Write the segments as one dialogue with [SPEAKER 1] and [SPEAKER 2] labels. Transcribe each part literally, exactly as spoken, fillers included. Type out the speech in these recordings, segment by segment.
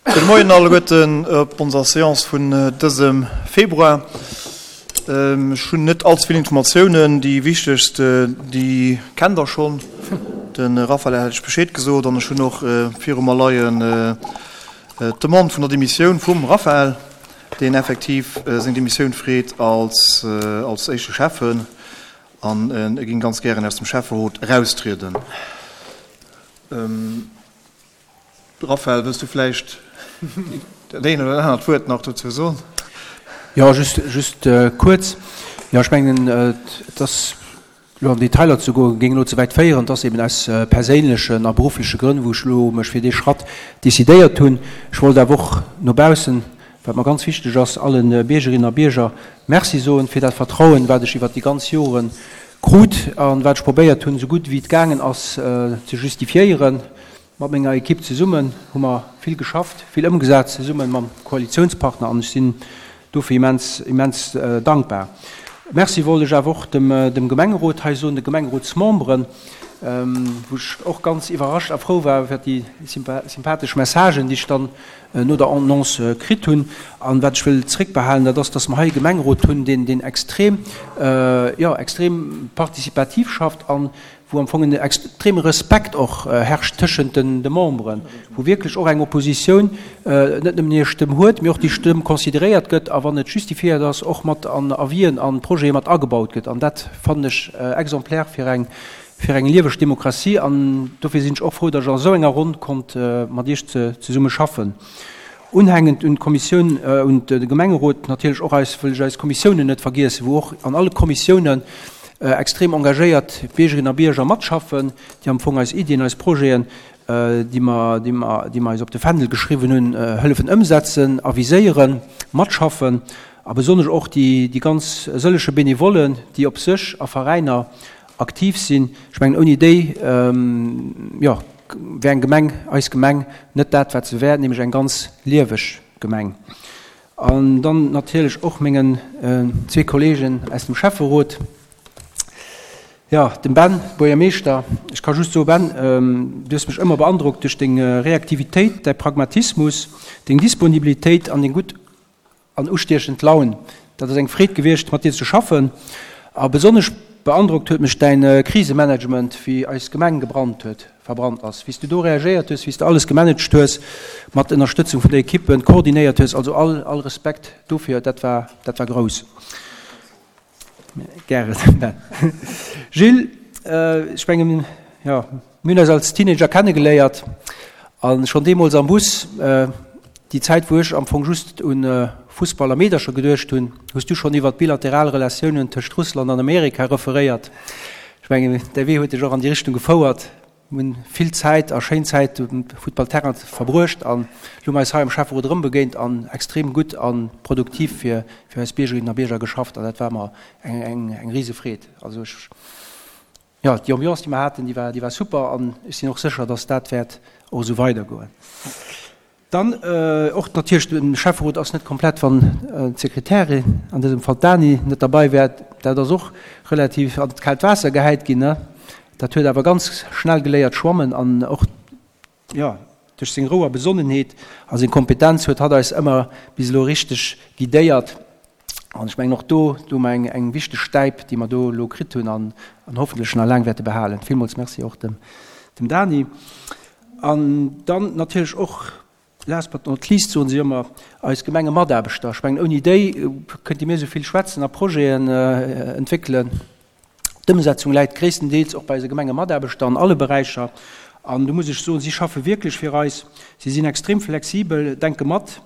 [SPEAKER 1] Gudde Moien alleguerten op onser Seance vun dësem Februar. Ech hunn net allze vill Informatiounen. Déi wichtegst, déi kennt Der schonn. De Raphaël hat lech Bescheed gesot an ech hunn och viru mer leien d'Demande vun der Demissioun vum Raphaël, deen effektiv seng Demissioun freet als als éischte Schäffen an e géing ganz gären aus dem Schäfferot eraustrieden. Raphaël, wëlls du vläicht dat eent oder dat anert Wuert nach dozou soen?
[SPEAKER 2] Jo, just, just kuerz. Jo, ech mengen, et ass elo an Detailer ze goen, géing elo ze wäit féieren. Et ass eben aus perséinlechen a beruffleche Grënn, wou ech elo mech fir dee Schratt decidéiert hunn. Ech wollt awer och no baussen, wat mer ganz wichteg ass, alle Biergerinnen a Bierger Merci soen fir dat Vertrauen, wat ech iwwert déi ganz Jore krut an wat ech probéiert hunn, esou gutt wéi et gaangen ass, ze justifiéieren. Mat menger Ekipp zesummen hu mer vill geschafft, vill ëmgesat, zesumme mam Koalitiounspartner an ech sinn dofir immens, immens dankbar. Merci wollt ech awer och dem, dem Gemengerot hei soen, de Gemengerotsmemberen, wou ech och ganz iwwerrascht a frou war iwwer déi sympathesch Messagen, déi ech dann no der Annonce kritt hunn. An wat ech wëll zréckbehalen, dat ass, dass mer hei e Gemengerot hunn, deen, deen extrem, jo, extrem participativ schafft an wou am Fong en extreme Respekt och herrscht tëschent de Memberen, wou wierklech och eng Oppositioun net nëmmen hir Stëmm huet, mee och déi Stëmm consideréiert gëtt a wann et justifiéiert ass, och mat an Avisen an Projete mat agebaut gëtt. An dat fannen ech exemplaire fir eng, fir eng lieweg Demokratie. An dofir sinn ech och frou, datt ech an esou enger Ronn konnt mat Iech zesumme schaffen. Unhängend un d'Kommissioun, un de Gemengerot natierlech och eis, wëll ech eis Kommissiounen net vergiessen, wou och an alle Kommissiounen extrem engagéiert Biergerinnen a Bierger matschaffen, déi am Fong eis Iddien, eis Projeten, déi mer, déi mer, déi mer eis op de Fändel geschriwwen hunn, hëllefen ëmsetzen, aviséieren, matschaffen a besonnesch och déi, déi ganz sëllege Benevollen, déi op sech a Veräiner aktiv sinn. Ech mengen, ouni déi, jo, wär eng Gemeng, eis Gemeng, net dat, wat se wär, nämlech eng ganz lieweg Gemeng. An dann natierlech och mengen zwee Kollegen aus dem Schäfferot, jo, dem Ben, Buergermeeschter. Ech ka just soen, Ben, du hues mech ëmmer beandrockt duerch deng Reaktivitéit, däi Pragmatismus, deng Disponibilitéit an deng gutt an ustiechend Laun. Dat ass eng Freed gewiescht, mat dir ze schaffen. A besonnesch beandrockt huet mech däin Krisemanagement, wéi eis Gemeng gebrannt huet, verbrannt ass, wéi s du do reagéiert hues, wéi s de alles gemanagt hues, mat Ënnerstëtzung vun der Equipe, koordinéiert hues. Also all, all Respekt dofir, dat war, dat war grouss. Gären, Ben. Gilles, ech mengen, jo, mir hunn eis als Teenager kennegeléiert a schonn deemools am Bus, déi Zäit, wou ech am Fong just un Fussball a Meedercher geduecht hunn, hues du schonn iwwert d'bilateral Relatiounen tëscht Russland an Amerika referéiert. Ech mengen, däi Wee huet dech och an déi Richtung gefouert. Mir hunn vill Zäit a schéin Zäit um Futtballterrain verbruecht an elo hu mer eis hei am Schäfferot erëm begéint an extrem gutt a produktiv fir fir eis Biergerinnen a Bierger geschafft an dat war mer eng eng eng rise Freed. Also ech, jo, déi Ambiance, déi mer haten, déi war déi war super an ech sinn och sécher, dass dat wäert och esou weidergoen. Dann och natierlech, de Schäfferot ass net komplett, wann d'Sekretärin, an dësem Fall d'Dani, net derbei wär. Dat ass och relativ an d'kaalt Waasser gehäit ginn. Dat huet awer ganz schnell geléiert schwammen an och, jo, duerch seng Rou a Besonnenheet a seng Kompetenz huet hatt eis ëmmer bis elo richteg guidéiert. An ech mengen och do, do hu mer eng, eng wichteg Stäip, déi mer do elo kritt hunn an, an hoffentlech nach laang wäerte behalen. Villmools Merci och dem, dem Dani. An dann natierlech och, last but not least, soen si ëmmer, eis Gemengemataarbechter. Ech mengen, ouni déi kënnte mir esou vill schwätzen a Projeten entwéckelen. D'Ëmsetzung läit gréisstendeels och bei eise Gemengemataarbechter an alle Beräicher. An do muss ech soen, si schaffe wierklech fir eis. Si sinn extrem flexibel, denke mat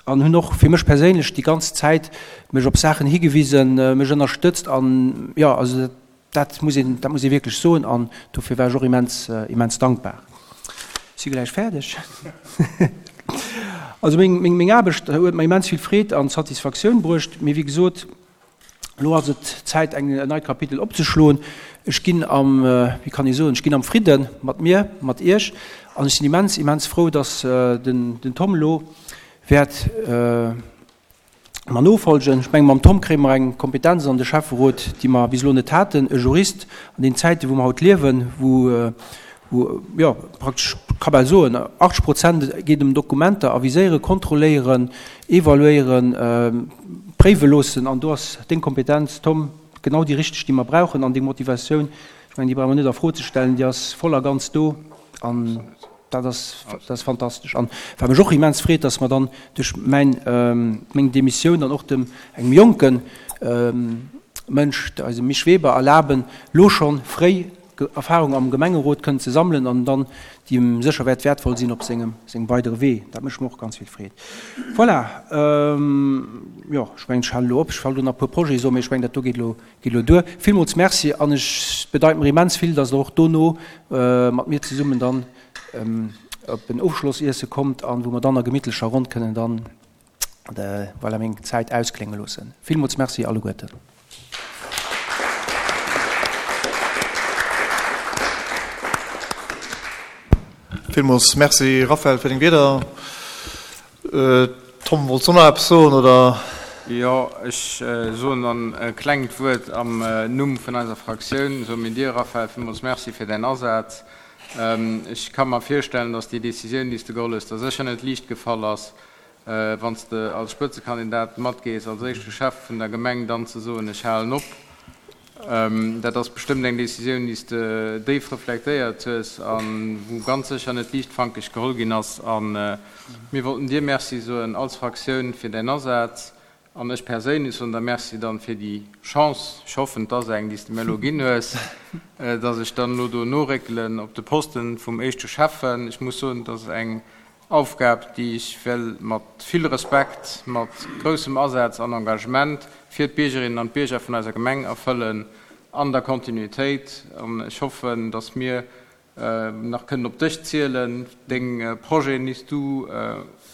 [SPEAKER 2] an hunn och fir mech perséinlech déi ganz Zäit mech op Saachen higewisen, mech ënnerstëtzt an, jo, also dat, Dat muss een, dat muss ee wierklech soen an dofir war ech och immens, immens dankbar. Ech si gläich fäerdeg. Also meng, meng, meng Aarbecht huet mer immens vill Freed an Satisfaktioun bruecht, mee wéi gesot, elo ass et Zäit eng, en neit Kapitel opzeschloen. Ech ginn am, wéi kann ee soen, ech ginn am Fridde mat mir, mat Iech an ech sinn immens, immens frou, dass den, den Tom elo wäert, mer nofolgen. Ech mengen, mam Tom kréie mer eng Kompetenz an de Schäfferot, déi mer bis elo net haten, e Jurist an den Zäiten, wou mer haut liewen, wou, wou, jo, praktesch, ka bal soen, achtzeg Prozent geet ëm Dokumenter aviséieren, kontrolléieren, evaluéieren, préiwe loossen. An do ass deng Kompetenz, Tom, genau déi richteg, déi mer brauchen. An deng Motivatioun, ech mengen, déi brauche mer net a Fro ze stellen, déi ass voll a ganz do. An dat ass, dat ass fantastesch. An wat mech och immens freet, dass mer dann duerch mäin, meng Demissioun dann och dem, engem jonke Mënsch, eisem Misch Weber, erlaben, lo schonn fréi Erfahrung am Gemengerot kënnen ze sammelen an dann, déi em sécher wäert wäertvoll sinn op sengem, sengem weidere Wee. Dat mécht mer och ganz vill Freed. Voilà, jo, ech mengen, ech halen elo op. Ech wollt elo nach e puer Projete soen, mee ech mengen, dat do geet elo, geet elo duer. Villmools Merci an ech, et bedeit mer immens vill, dass Der och dono mat mir zesummen dann op en Ofschlossiesse kommt an wou mer dann a gemittlecher Ronn kënnen dann, voilà, meng Zäit ausklénge loossen. Villmools Merci alleguerten.
[SPEAKER 1] Villmools Merci Raphaël fir deng Wierder. Tom, wollts du nach eppes soen, oder?
[SPEAKER 3] Jo, ech soen dann e klengt Wuert am Numm vun eiser Fraktioun. Soe mir dir, Raphaël, villmools Merci fir däin Asaz. Ech ka mer virstellen, dass déi Décisioun, déi s de geholl hues, der sécher net liicht gefall ass, wann s de als Spëtzekandidat matgees, als éischte Chef vun der Gemeng dann ze soen, ech halen op. Dat ass bestëmmt eng Décisioun, déi s de déif reflektéiert hues a wou ganz sécher net liichtfankeg geholl ginn ass. A mir wollten dir Merci soen als Fraktioun fir däin Asaz an ech perséinlech soen der Merci dann fir déi Chance, ech hoffen, et ass eng, déi s de mir elo ginn hues, dass ech dann elo do noréckelen op de Posten vum éischte Schäffen. Ech muss soen, et ass eng Aufgab, déi ech well mat vill Respekt, mat groussem Asaz an Engagement fir d'Biergerinnen an d'Bierger vun eiser Gemeng erfëllen, an der Kontinuitéit. An ech hoffen, dass mir nach kënnen op dech zielen, deng Projeten, déi s du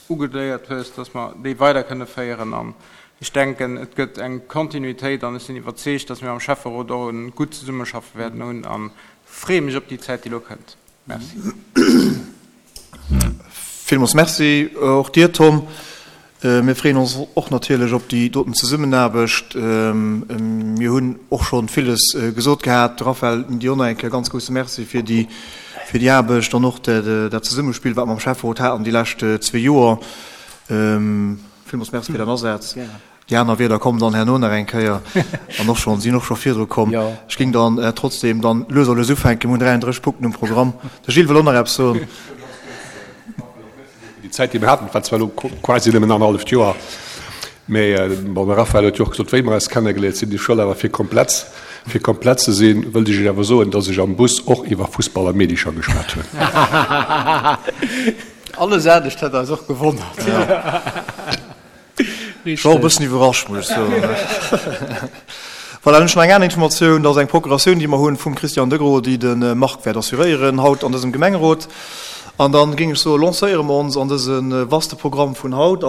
[SPEAKER 3] ugedéiert hues, dass mer déi weider kënne féieren. An ech denken, et gëtt eng Kontinuitéit an ech sinn iwwerzeegt, dass mir am Schäfferot och e gutt Zesummeschaffe wäerten hunn a freeë mech op déi Zäit, déi elo kënnt. Merci.
[SPEAKER 1] Villmools Merci och dir, Tom. Mir freeën ons och natierlech op déi doten Zesummenaarbecht. Mir hunn och scho villes gesot gehat. Raphaël, dir och nach eng Kéier ganz grousse Merci fir déi, fir déi Aarbecht an och dat Zesummespill, wat mer am Schäfferot haten déi lescht zwee Joer. Villmools Merci fir däin Asaz. Déi aner Wierder kommen dann herno nach eng Kéier an och schonn, sinn och scho virdru komm. Ech géing dann trotzdem dann lues a lues ufänken. Mir hunn dräianddrësseg Punkten um Programm. De Gilles wëll och nach eppes soen.
[SPEAKER 4] Déi Zäit, déi mir haten, war zwar elo quasi nëmmen annerhalleft Joer, mä bon, de Raphaël huet jo och gesot, wéi mer eis kennegeléiert sinn. Ech wëll awer, fir komplett, fir komplett ze sinn, wëllt ech Iech awer soen, dass ech am Bus och iwwer Fussball a Meedecher geschwat hunn.
[SPEAKER 3] Alles anescht hätt eis och gewonnert.
[SPEAKER 1] Ech war och e bëssen iwwerrascht, muss ech soen. Voilà, dann hunn ech nach eng aner Informatioun. Dat ass eng Procuratioun, déi mer hunn vum Christian Degros, déi de Marc wäert assuréieren haut an dësem Gemengerot. An dann géing ech soen, lancéiere mer ons an dëse vaste Programm vun haut.